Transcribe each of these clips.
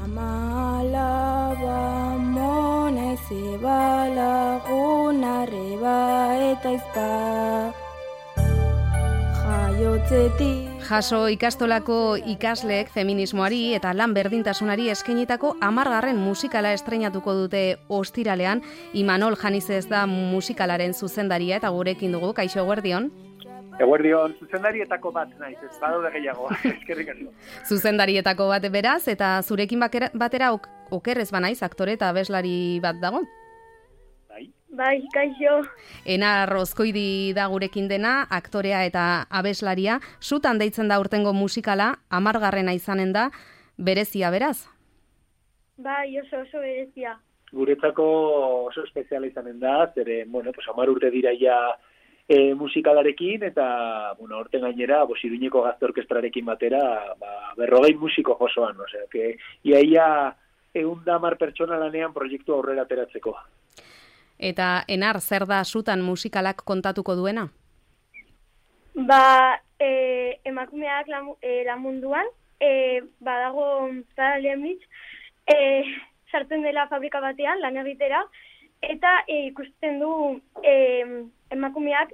Amalaba monez eba lagun arreba eta izpa. Jaso ikastolako ikasleek feminismoari eta lan berdintasunari eskainitako 10. musikala estreinatuko dute ostiralean. Imanol Janizez da musikalaren zuzendaria eta gurekin dugu. Kaixo, eguerdion. Eguerdion, zuzendarietako bat naiz, ez badaude gehiago, eskerrik asko. Zuzendarietako bat beraz, eta zurekin batera okerrez banaiz, aktore eta abeslari bat dago? Bai, kaixo. Enar Rozkoidi da gurekin dena, aktorea eta abeslaria. Sutan deitzen da urtengo musikala, 10. izanen da, berezia beraz? Bai, oso berezia. Guretzako oso espeziala izanen da, zere, 10 urte dira ja musikalarekin, eta, horten gainera, Iruñeko Gazte Orkestrarekin batera, 40 musiko josoan, osea, que ia 110 pertsona lanean proiektu aurrera ateratzeko. Eta Enar, zer da sutan musikalak kontatuko duena? Emakumeak lan munduan, badago Zara Leemnitz, sartzen dela fabrika batean, lan egitera, eta ikusten du emakumeak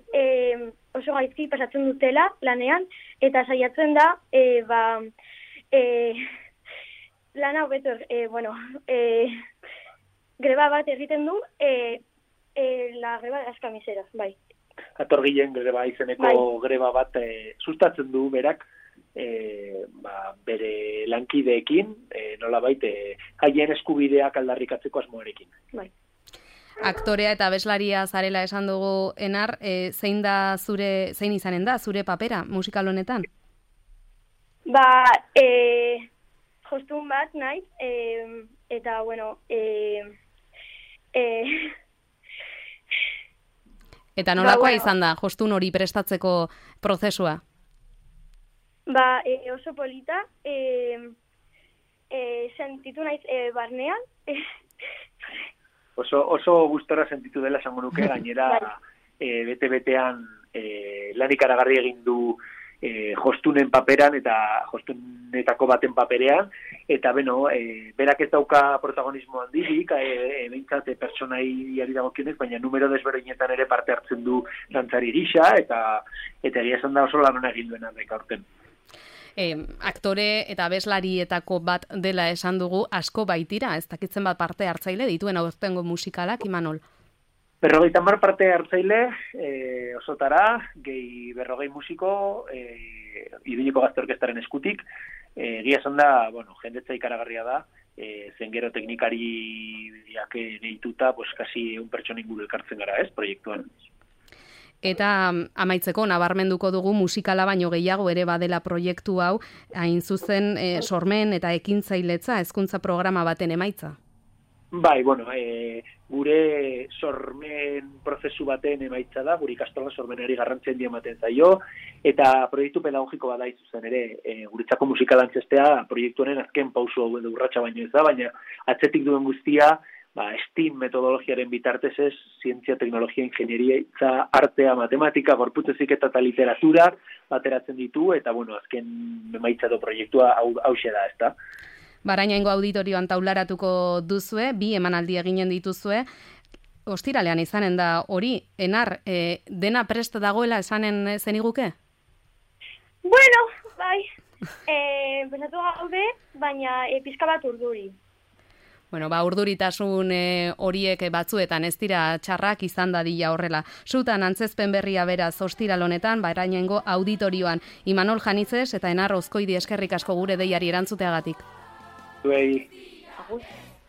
oso gaizki pasatzen dutela lanean, eta saiatzen da, lana hobeto, greba bat egiten du, la greba de las camiseras, bai. Atorgilen greba izeneko greba bat sustatzen du berak, bere lankideekin, nolabait, haien eskubideak aldarrikatzeko asmoarekin. Bai. Aktorea eta abeslaria zarela esan dugu, Enar, zein izanen da zure papera musikal honetan? Jostun bat naiz, eta, eta nolakoa izan da, jostun hori prestatzeko prozesua? Oso polita, sentitu naiz barnean. Oso gustora sentitu dela esango nuke, gainera bete-betean lan ikaragarri egin du jostunen paperan eta jostunetako baten paperean, eta berak ez dauka protagonismo handirik, behintzat pertsonaiari dagokionez, baina numero desberdinetan ere parte hartzen du dantzari gisa, eta egia esan da oso lan hona egin duen handek aurten. Aktore eta abeslarietako bat dela esan dugu, asko baitira, ez dakitzen bat parte hartzaile dituen aurtengo musikalak, Imanol? 50 parte hartzaile, osotara, gehi 40 musiko, Iruñeko Gazte Orkestraren eskutik, egia esan da, jendetza ikaragarria da, zen gero teknikariak deituta, kasi 1 pertsona inguru elkartzen gara, ez, proiektuan. Eta amaitzeko, nabarmenduko dugu musikala baino gehiago ere badela proiektu hau, hain zuzen sormen eta ekintzailetza hezkuntza programa baten emaitza. Bai, gure sormen prozesu baten emaitza da, gure ikastola sormenari garrantzia handia ematen zaio, eta proiektu pedagogiko bada zuzen ere, guretzako musikala antzestea proiektu honen azken pauso hau edo urratsa baino ez da, baina atzetik duen guztia, STEAM metodologiaren bitartez ez, zientzia, teknologia, ingenieria, artea, matematika, gorputz heziketa eta literatura bateratzen ditu, eta azken emaitza edo proiektua hauxe da, ezta? Barainaingo auditorioan taularatuko duzue, 2 emanaldi eginen dituzue, ostiralean izanen da hori, Enar, dena prest dagoela esanen zeniguke? Bai, pensatu gaude, baina pizka bat urduri. Urduritasun horiek batzuetan ez dira txarrak izan dadila horrela. Sutan antzezpen berria beraz ostiral honetan, Barainaingo auditorioan. Imanol Janizez eta Enar Rozkoidi eskerrik asko gure deiari erantzuteagatik. Zuei.